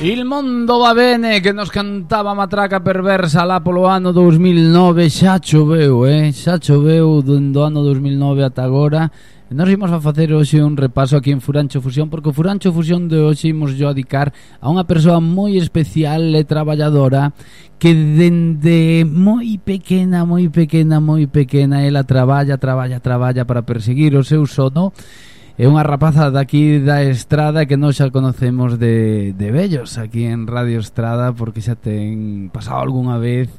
Il mondo va bene, que nos cantaba Matraca Perversa lá polo ano 2009. Xa choveu, xa choveu do ano 2009 ata agora. Nos imos a facer hoxe un repaso aquí en Furancho Fusión, porque o Furancho Fusión de hoxe imos yo a dedicar a unha persoa moi especial e traballadora que dende moi pequena ela traballa para perseguir o seu sono. É unha rapaza daqui da Estrada que nós xa conocemos de vellos aquí en Radio Estrada, porque xa ten pasado algunha vez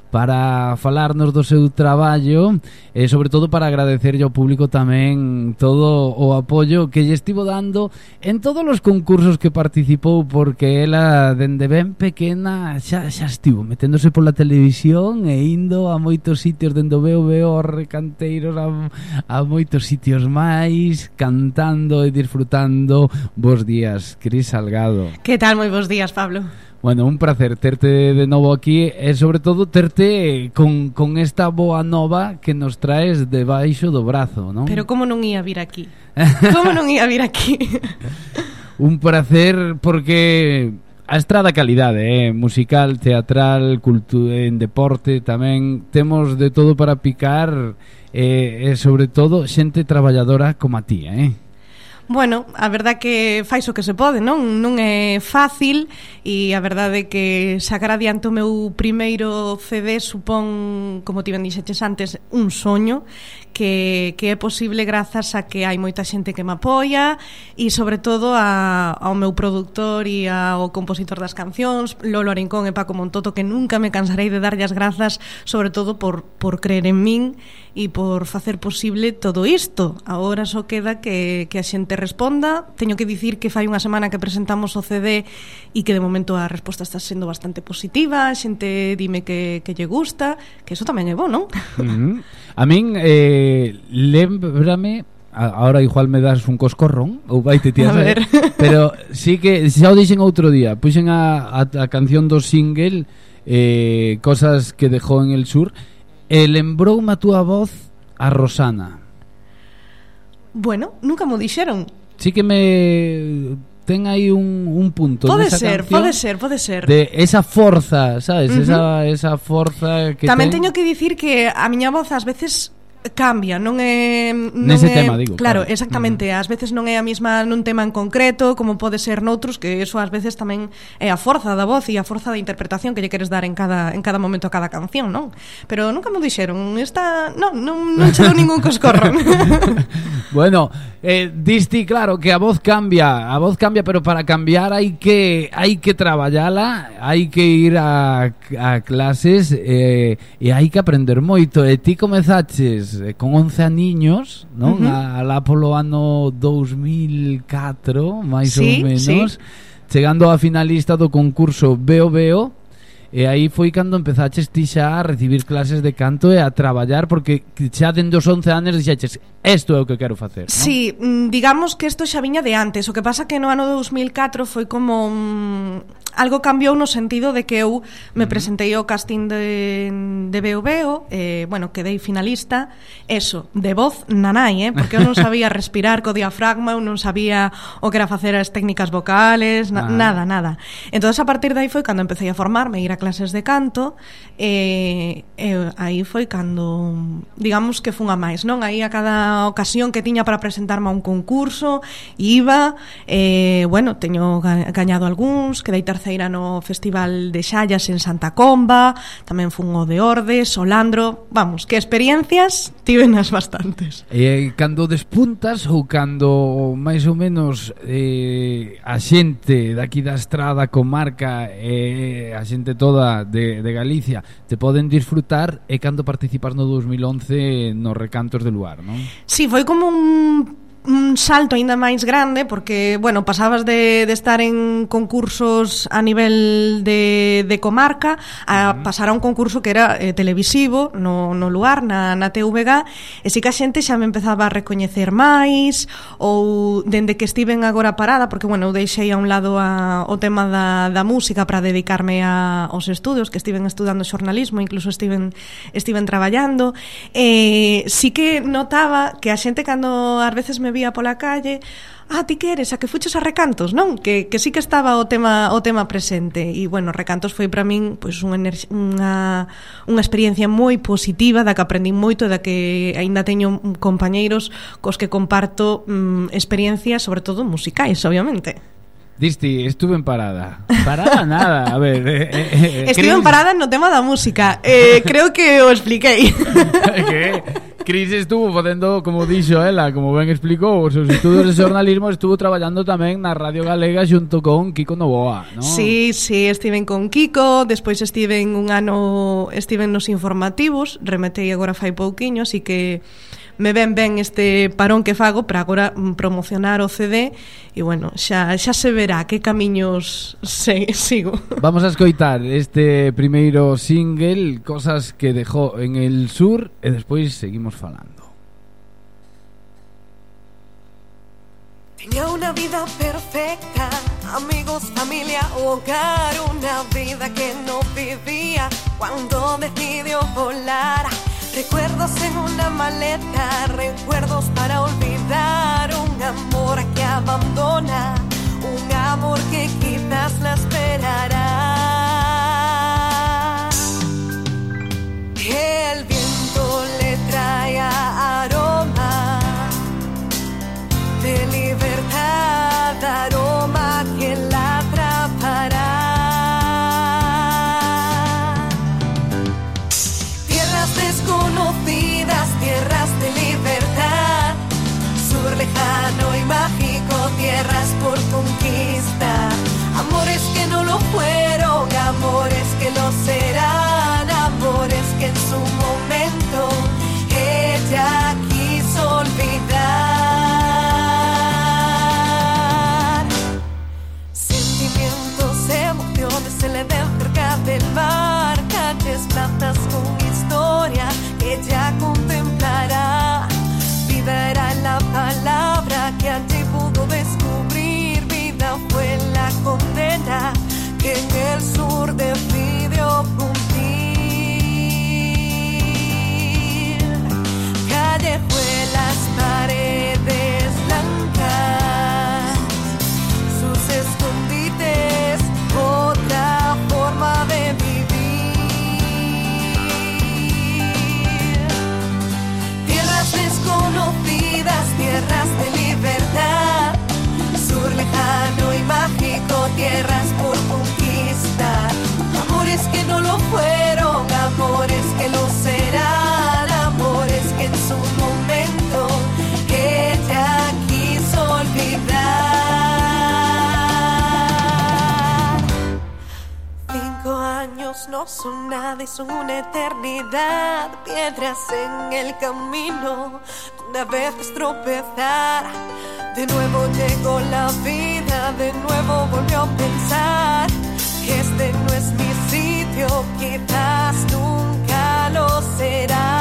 para falarnos do seu traballo e sobre todo para agradecerlle ao público tamén todo o apoio que lle estivo dando en todos os concursos que participou, porque ela dende ben pequena xa estivo meténdose pola televisión e indo a moitos sitios, dende o veo aos recanteiros a moitos sitios máis, cantando e disfrutando. Bos días, Cris Salgado. Que tal? Moi bos días, Pablo. Bueno, un placer terte de novo aquí e sobre todo terte con esta boa nova que nos traes debaixo do brazo, non? Pero como non ia vir aquí? Como non ia vir aquí? Un placer porque a Estrada calidade, musical, teatral, en deporte tamén temos de todo para picar e sobre todo xente traballadora como a ti, Bueno, a verdade que fais o que se pode, non? Non é fácil e a verdade é que sacar adiante o meu primeiro CD supón, como ti ben dixeches antes, un soño que é posible grazas a que hai moita xente que me apoia e sobre todo ao meu produtor e ao compositor das cancións, Lolo Arincón e Paco Montoto, que nunca me cansarei de darlle as grazas, sobre todo por creer en min e por facer posible todo isto. Agora só queda que a xente responda. Teño que dicir que fai unha semana que presentamos o CD e que de momento a resposta está sendo bastante positiva. A xente dime que lle gusta, que eso tamén é bo, non? A min lémbrame, ahora igual me das un coscorrón ou vaite ti a ver, pero sí que xa o dixen outro día, puxen a canción do single Cosas que dejó en el sur e lembroume a túa voz a Rosana. Bueno, nunca mo dixeron. Sí que me ten aí un punto. Pode ser. De esa forza, sabes? Esa forza que tamén teño que dicir que a miña voz ás veces cambia, non é nese tema, digo. Claro, exactamente, ás veces non é a mesma nun tema en concreto como pode ser noutros, que eso ás veces tamén é a forza da voz e a forza da interpretación que lle queres dar en cada momento a cada canción, non? Pero nunca me dixeron, non che dou ningún coscorrón. Bueno, diste claro que a voz cambia, pero para cambiar hai que traballala, hai que ir a clases e hai que aprender moito. E ti comezaches con 11 aniños, non? Alá polo ano 2004, máis ou menos, chegando a finalista do concurso Veo, e aí foi cando empezaches ti xa a recibir clases de canto e a traballar, porque xa dende os 11 anos dixeches, isto é o que quero facer, non? Sí, digamos que isto xa viña de antes. O que pasa que no ano 2004 foi como algo cambiou no sentido de que eu me presentei ao casting de Veo, bueno, quedei finalista, eso, de voz nanai, porque eu non sabía respirar co diafragma, eu non sabía o que era facer as técnicas vocales, nada. Entonces a partir de aí foi cando empecé a formarme, ir a clases de canto, e aí foi cando, digamos que fun a máis, non? Aí a cada ocasión que tiña para presentarme a un concurso iba, bueno, teño gañado algúns, quedei terceira no Festival de Xallas en Santa Comba, tamén fun o de Ordes, o Landro, vamos, que experiencias tivenas bastantes. E cando despuntas ou cando máis ou menos a xente daqui da Estrada, comarca, a xente toda de Galicia te poden disfrutar, e cando participas no 2011 nos recantos de Luar, non? Sí, foi como un salto aínda máis grande, porque, bueno, pasabas de estar en concursos a nivel de comarca a pasar a un concurso que era televisivo no Luar, na TVG, e si que a xente xa me empezaba a recoñecer máis, ou dende que estiven agora parada, porque, bueno, eu deixei a un lado o tema da música para dedicarme aos estudos, que estiven estudando xornalismo, incluso estiven traballando, si que notaba que a xente cando ás veces me vía pola calle, ti que eres, a que fuches a Recantos, non? Que sí que estaba o tema presente. E, bueno, Recantos foi para min pois, unha experiencia moi positiva, da que aprendín moito, da que aínda teño compañeiros cos que comparto experiencias, sobre todo musicais, obviamente. Disti, estuve en parada. Parada nada, a ver. Estive en parada no tema da música. Creo que o expliquei. Que Cris estuvo facendo, como dixo ela, como ben explicou, os seus estudos de xornalismo, estuvo traballando tamén na Radio Galega xunto con Kiko Novoa, non? Sí, estiven con Kiko, despois estiven un ano, estiven nos informativos, remetei agora fai pouquiño, así que me ven este parón que fago para agora promocionar o CD e, bueno, xa se verá que camiños sigo. Vamos a escoitar este primeiro single, Cosas que dejó en el sur, e despois seguimos falando. Tenía una vida perfecta, amigos, familia, hogar, una vida que no vivía cuando decidió volar. Recuerdos en una maleta, recuerdos para olvidar, un amor que abandona, un amor que quizás la esperará. El viento le trae aroma de libertad, aroma que la atrapará. Desconocidas, tierras de libertad, sur lejano y mágico, tierras por conquistar. Amores que no lo fueron, amores que lo serán, amores que en su momento ella quiso olvidar. Sentimientos, emociones se le ven cerca del mar, calles, plazas con historia que ella contemplará. Vida era la palabra que allí pudo descubrir, vida fue la condena que en el sur decidió cumplir. Callejuelas, paredes blancas, sus escondites, otra forma de vivir. Desconocidas, tierras de libertad, sur lejano y mágico, tierras por conquistar. Amores que no lo fueron, amores que lo serán, amores que en su momento ella quiso olvidar. 5 años no son nada y son una eternidad, piedras en el camino donde a veces tropezar. De nuevo llegó la vida, de nuevo volvió a pensar que este no es mi sitio, quizás nunca lo será.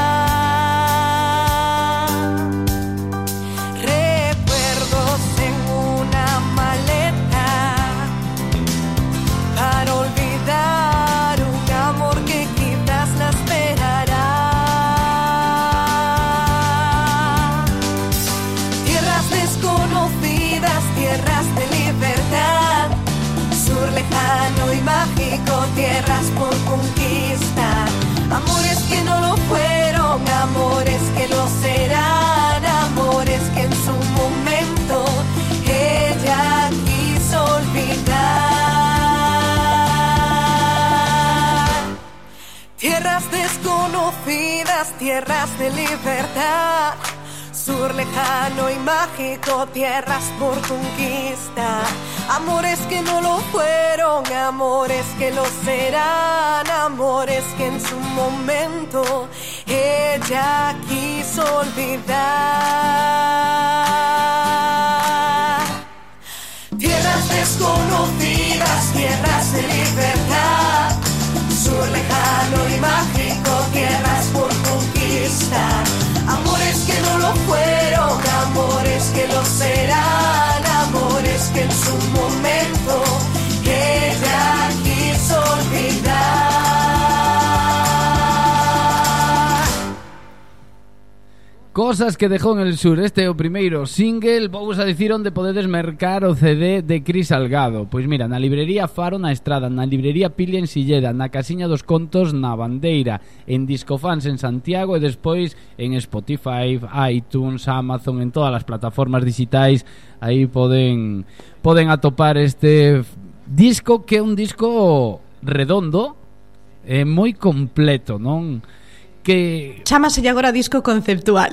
Recuerdos en una maleta para olvidar un amor que quizás la esperará. Tierras desconocidas, tierras de libertad, sur lejano y mágico, tierras por conquistar. Amores que no lo fueron, amores que lo serán, amores que en su momento ella quiso olvidar. Tierras desconocidas, tierras de libertad, sur lejano y mágico, tierras por conquistar. Amores que no lo fueron, amores que lo serán, amores que en su momento ella quiso olvidar. Tierras desconocidas, tierras de libertad, sur lejano y mágico, tierras por conquistar. Amores que no lo fueron, amores que lo serán, amores que en su momento ella quiso olvidar. Cosas que dejou en el sur. Este é o primeiro single. Vou a dicir onde podedes mercar o CD de Cris Salgado. Pois mira, na librería Faro na Estrada, na librería Pili en Silleda, na Casiña dos Contos na Bandeira, en Discofans en Santiago e despois en Spotify, iTunes, Amazon, en todas as plataformas digitais. Aí poden atopar este disco, que é un disco redondo e moi completo, non? Que chámaselle agora disco conceptual.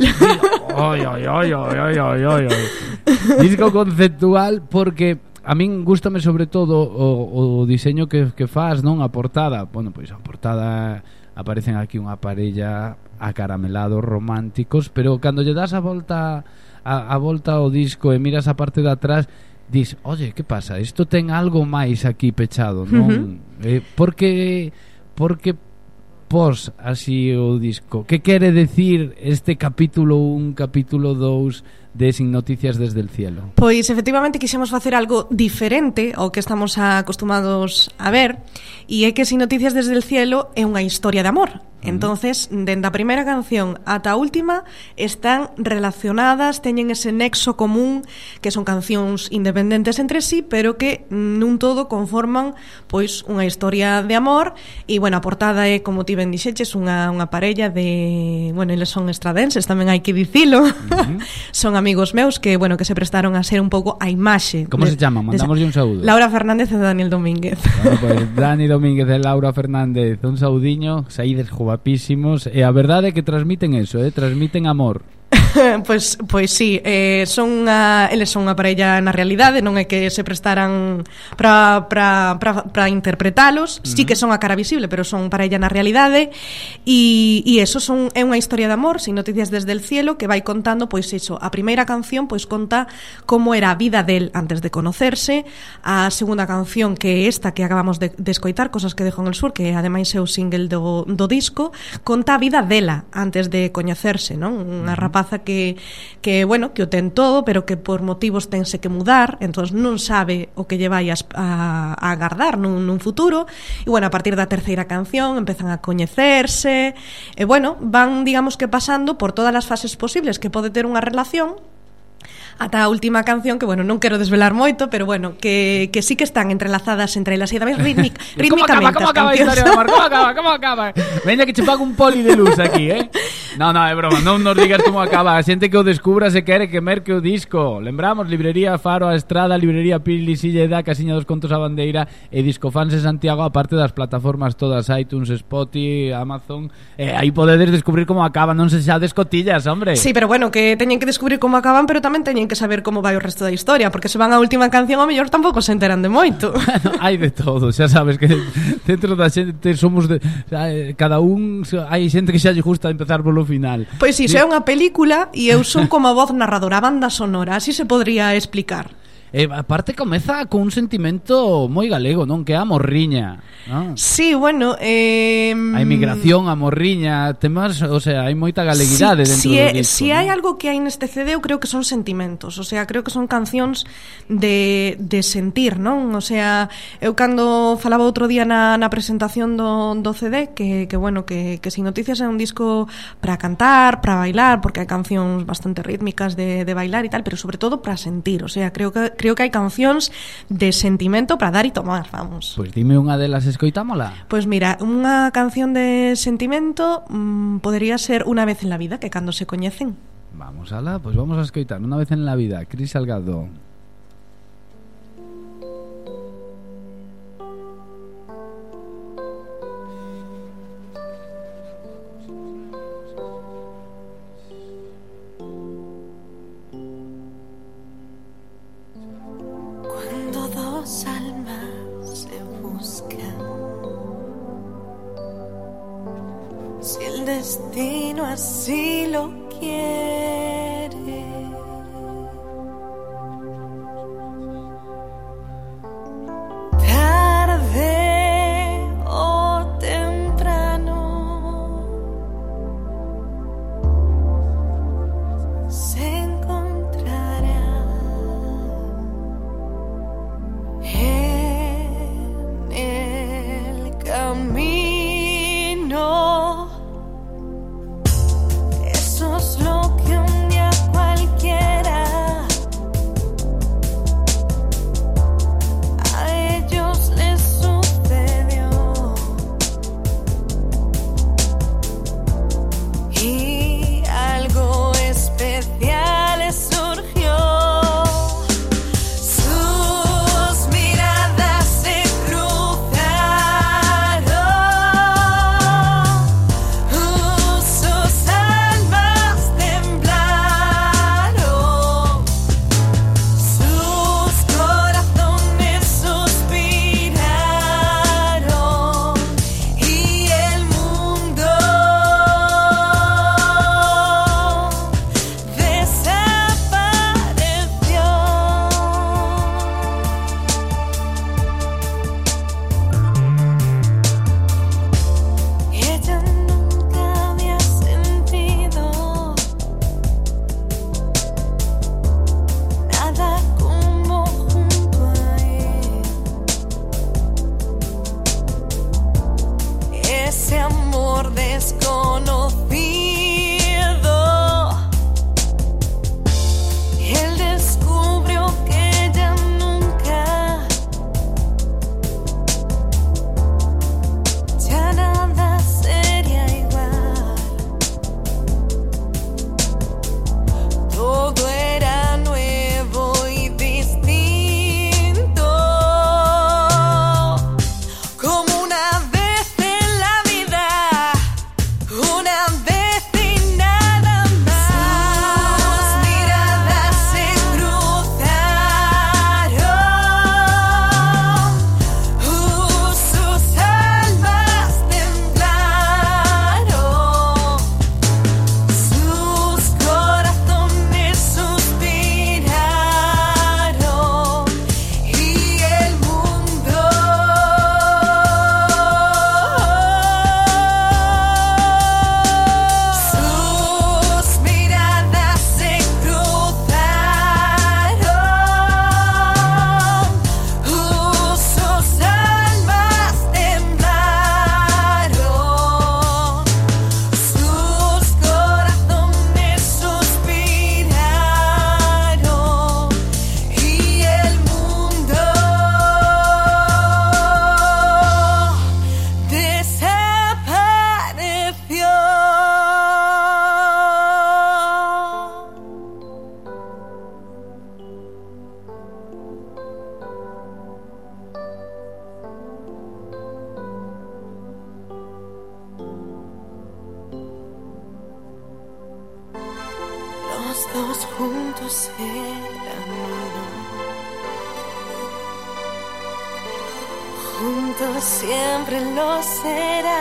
Disco conceptual, porque a min gústame sobre todo o diseño que faz, non? A portada. Bueno, pois a portada aparecen aquí unha parella acaramelados románticos, pero cando lle das a volta ao disco e miras a parte de atrás, dis, oye, que pasa? Isto ten algo máis aquí pechado, non? Porque pos así o disco. Que quere decir este capítulo 1, capítulo 2 de Sin Noticias desde el Cielo? Pois efectivamente quixemos facer algo diferente ao que estamos acostumados a ver, e é que Sin Noticias desde el Cielo é unha historia de amor. Entonces, dende a primeira canción ata a última están relacionadas, teñen ese nexo común, que son cancións independentes entre sí, pero que nun todo conforman pois unha historia de amor. E bueno, a portada é, como ti ben dixeches, unha parella de, bueno, eles son estradenses, tamén hai que dicilo. Son amigos meus que, bueno, que se prestaron a ser un pouco a imaxe. Como se chama? Mandamoslle un saúdo. Laura Fernández e Daniel Domínguez. Bueno, pues Dani Domínguez e Laura Fernández, un saudiño, saídes guapísimos, e a verdade é que transmiten eso, transmiten amor. Pois sí, eles son unha parella na realidade, non é que se prestaran para interpretalos. Sí que son a cara visible, pero son parella na realidade. E eso é unha historia de amor, Sin Noticias desde el Cielo, que vai contando, pois iso, a primeira canción pois conta como era a vida del antes de conocerse. A segunda canción, que é esta que acabamos de escoitar, Cosas que dejó en el sur, que ademais é o single do disco, conta a vida dela antes de coñecerse, non? Unha rapaza que bueno, que o ten todo, pero que por motivos tense que mudar, entón non sabe o que lle vai a agardar nun futuro. E bueno, a partir da terceira canción empezan a coñecerse e bueno, van, digamos que pasando por todas as fases posibles que pode ter unha relación, ata a última canción, que bueno, non quero desvelar moito, pero bueno, que sí que están entrelazadas entre elas e tamén rítmicamente. Como acaba a historia de amor? Como acaba? Veña que che pago un poli de luz aquí, No, é broma, non nos digas como acaba. A xente que o descubra se quere que merque o disco. Lembramos, librería Faro a Estrada, librería Pili Silleda, Casiña dos Contos a Bandeira e Discofans en Santiago, aparte das plataformas todas, iTunes, Spotify, Amazon. Aí podedes descubrir como acaba, non se xa descotillas, hombre. Sí, pero bueno, que teñen que descubrir como acaban, pero tamén teñen que saber como vai o resto da historia, porque se van á última canción ao mellor tampouco se enteran de moito. Bueno, hai de todo, xa sabes que dentro da xente somos cada un, hai xente que xa lle gusta empezar polo final. Pois iso é unha película e eu son como a voz narradora, a banda sonora, así se podría explicar. Aparte comeza con un sentimento moi galego, non? Que é a morriña, non? Sí, bueno, a emigración, a morriña, temas, o sea, hai moita galeguidade dentro do disco. Si hai algo que hai neste CD, eu creo que son sentimentos, o sea, creo que son cancións de sentir, non? O sea, eu cando falaba outro día na presentación do CD que bueno, que Sin Noticias é un disco para cantar, para bailar, porque hai cancións bastante rítmicas de bailar e tal, pero sobre todo para sentir, o sea, creo que hai cancións de sentimento para dar e tomar, vamos. Pois dime unha delas, escoitámola. Pois mira, unha canción de sentimento podería ser Una vez en la vida, que cando se coñecen. Vamos alá, pois vamos a escoitar Una vez en la vida, Cris Salgado. Almas se buscan, si el destino así lo quiere, tarde o temprano se encontrará en el camino. Eso es lo que dos juntos eran uno. Juntos siempre lo será.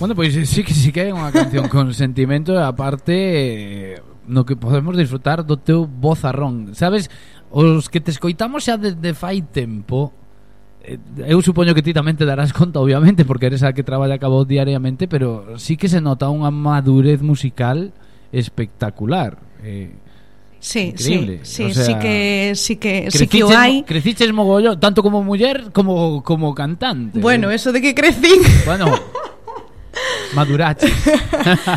Bueno, pois sí que é unha canción con sentimento e aparte no que podemos disfrutar do teu vozarrón. Sabes, os que te escoitamos xa desde fai tempo, eu supoño que ti tamén te darás conta, obviamente, porque eres a que traballa a voz diariamente, pero sí que se nota unha madurez musical espectacular. Sí, increíble. sí, o sea, sí que o hai. Creciches mogollo, tanto como muller como cantante. Bueno, eso de que crecín. Bueno, madurache.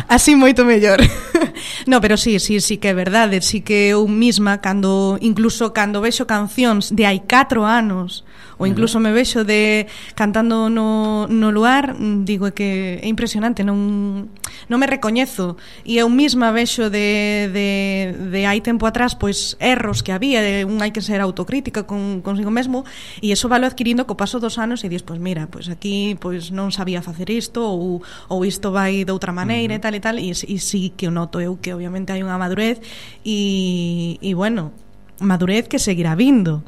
Así moito mellor. No, pero sí que é verdade. Sí que eu misma, incluso cando vexo cancións de hai 4 anos, ou incluso me vexo de cantando no luar, digo que é impresionante, non me recoñezo. E eu misma vexo de hai tempo atrás, pois erros que había, hai que ser autocrítica consigo mesmo, e iso valo adquirindo co paso dos anos e dis, pois mira, pois aquí pois non sabía facer isto, ou isto vai de outra maneira e tal, e sí que o noto eu que obviamente hai unha madurez e bueno, madurez que seguirá vindo.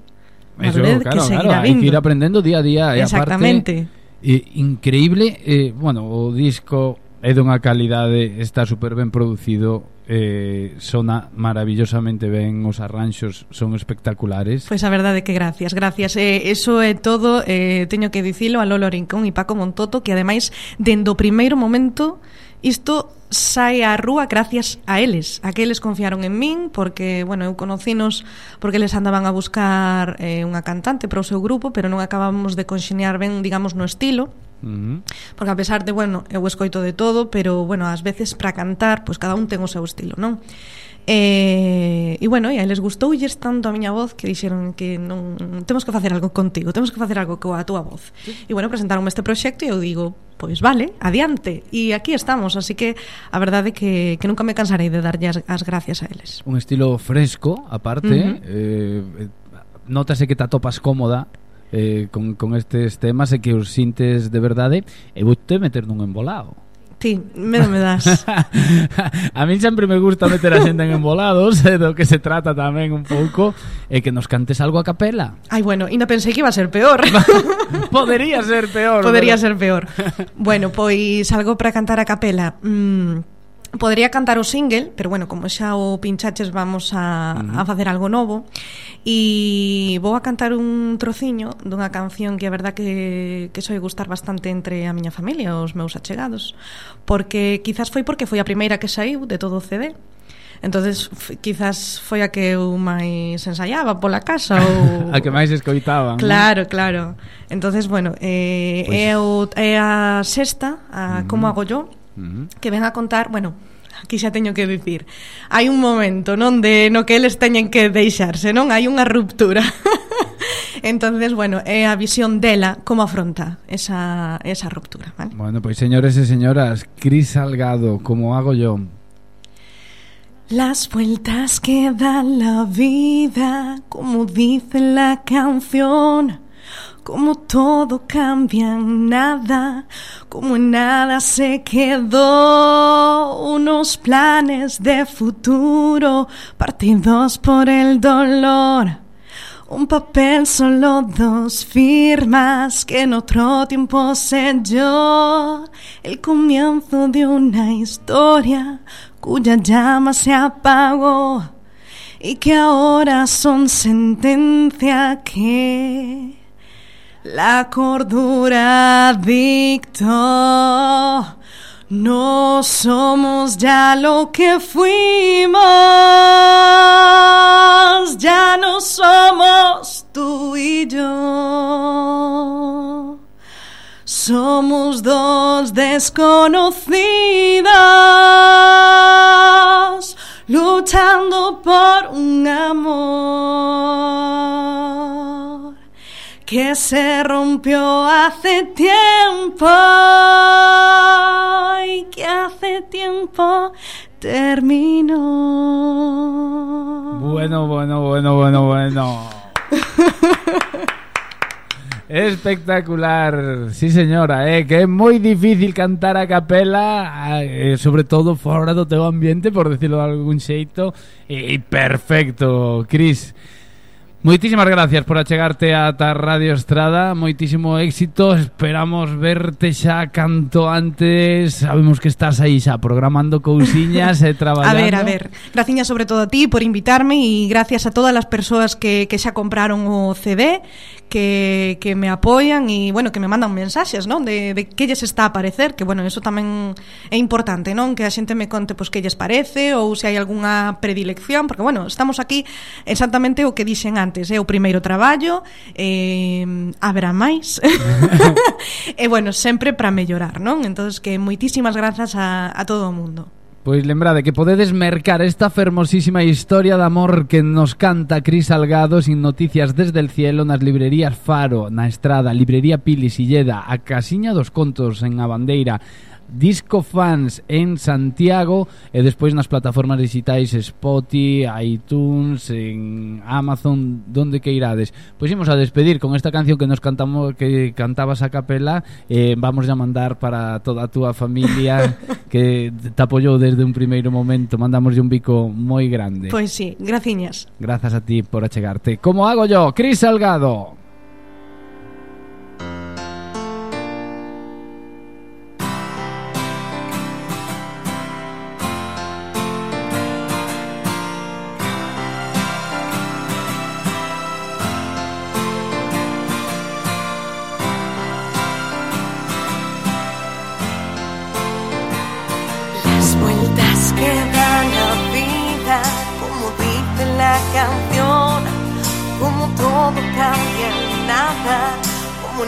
Madurez claro, que seguirá vindo. Hai que ir aprendendo día a día. Exactamente. E aparte, increíble, bueno, o disco é dunha calidade, está super ben producido, sona maravillosamente ben, os arranxos son espectaculares. Pois a verdade que gracias. Eso é todo, teño que dicilo a Lolo Rincón e Paco Montoto, que ademais, dende o primeiro momento, isto sai á rúa gracias a eles, a que eles confiaron en min, porque, bueno, eu conocinos porque eles andaban a buscar unha cantante para o seu grupo, pero non acabamos de conxeñar ben, digamos, no estilo. Porque a pesar de, bueno, eu escoito de todo, pero, bueno, ás veces para cantar, pois cada un ten o seu estilo, non? E bueno, e a eles gustoulles tanto a miña voz que dixeron que non temos que facer algo contigo, temos que facer algo coa túa voz. E bueno, presentaronme este proxecto e eu digo, pois vale, adiante. E aquí estamos, así que a verdade que nunca me cansarei de darlle as gracias a eles. Un estilo fresco, aparte, nótase que te atopas cómoda con estes temas e que os sintes de verdade, e vou te meter nun embolado. Ti, medo me das. A mí sempre me gusta meter a xente en embolados, do que se trata tamén un pouco, e que nos cantes algo a capela. Ai, bueno, ainda pensei que iba a ser peor. Podría ser peor. Ser peor. Bueno, pois algo para cantar a capela. Podería cantar o single, pero bueno, como xa o pinchaches, vamos a facer algo novo. E vou a cantar un trociño dunha canción que a verdad que soe gustar bastante entre a miña familia, os meus achegados, porque quizás foi a primeira que saiu de todo o CD. Entonces quizás foi a que eu máis ensaiaba pola casa ou a que máis escoitaban. Claro. Entonces, bueno, é a sexta, a Como hago yo, que ven a contar, bueno, aquí xa teño que dicir, hai un momento no que eles teñen que deixarse, non? Hai unha ruptura. Entonces, bueno, é a visión dela como afronta esa ruptura, ¿vale? Bueno, pois señores e señoras, Cris Salgado, Como hago yo. Las vueltas que da la vida, como dice la canción, como todo cambia en nada, como en nada se quedó, unos planes de futuro partidos por el dolor. Un papel, solo 2 firmas que en otro tiempo selló el comienzo de una historia cuya llama se apagó y que ahora son sentencia que la cordura dictó. No somos ya lo que fuimos, ya no somos tú y yo. Somos 2 desconocidos luchando por un amor que se rompió hace tiempo terminó. Bueno. Espectacular, sí señora, que é moi difícil cantar a capela, sobre todo fora do teu ambiente, por decirlo de algún xeito, e perfecto, Cris. Moitísimas gracias por achegarte ata Radio Estrada. Moitísimo éxito. Esperamos verte xa canto antes. Sabemos que estás aí xa programando cousiñas e traballando. A ver. Graciñas sobre todo a ti por invitarme e gracias a todas as persoas que xa compraron o CD, que me apoian e, bueno, que me mandan mensaxes, non? De que lles está a parecer, que, bueno, eso tamén é importante, non? Que a xente me conte, pois, que lles parece ou se hai algunha predilección, porque, bueno, estamos aquí exactamente o que dixen antes. É o primeiro traballo, haberá máis. E, bueno, sempre para mellorar, non? Entonces, que moitísimas grazas a todo o mundo. Pois lembrade que podedes mercar esta fermosísima historia de amor que nos canta Cris Salgado sin noticias desde el cielo nas librerías Faro, na Estrada, Librería Pili Silleda, a Casiña dos Contos en A Bandeira, Disco Fans en Santiago e despois nas plataformas digitais Spotify, iTunes, en Amazon, donde que irades. Pois imos a despedir con esta canción que nos cantabas a capela. Vamos a mandar para toda a túa familia que te apoyou desde un primeiro momento. Mandamos un bico moi grande. Pois sí, graciñas. Grazas a ti por achegarte. Como hago yo, Cris Salgado.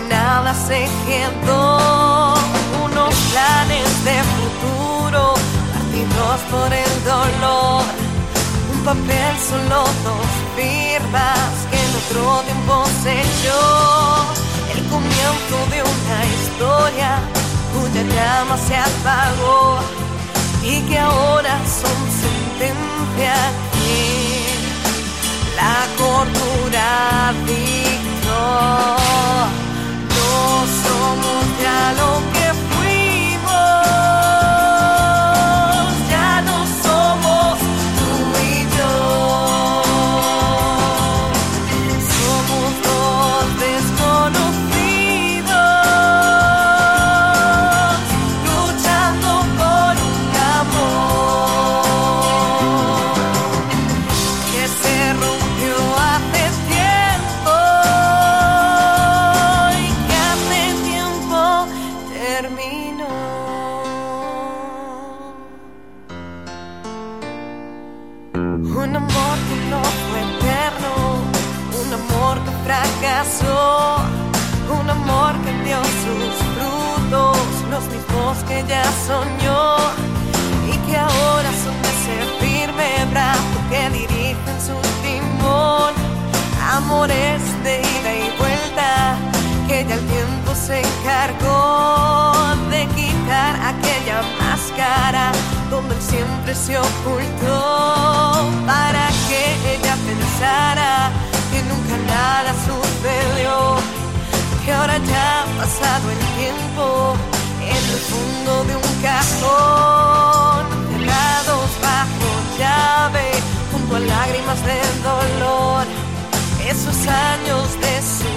Nada se quedó, unos planes de futuro partidos por el dolor, un papel solo dos firmas que en otro tiempo selló el comienzo de una historia cuya llama se apagó y que ahora son sentencia que la cordura dictó. No somos ya lo que fuimos, ya no somos tú y yo. Somos dos desconocidos, luchando por un amor que se rompió hace tiempo. Un amor que no fue eterno, un amor que fracasó, un amor que dio sus frutos, los mismos que ya soñó y que ahora son ese firme brazo que dirigen su timón. Amores de ida y vuelta que ya el tiempo se encargó de quitar aquella máscara donde él siempre se ocultó, para que ella pensara que nunca nada sucedió, que ahora ya ha pasado el tiempo en el fondo de un cajón, cerrados bajo llave, junto a lágrimas del dolor, esos años de su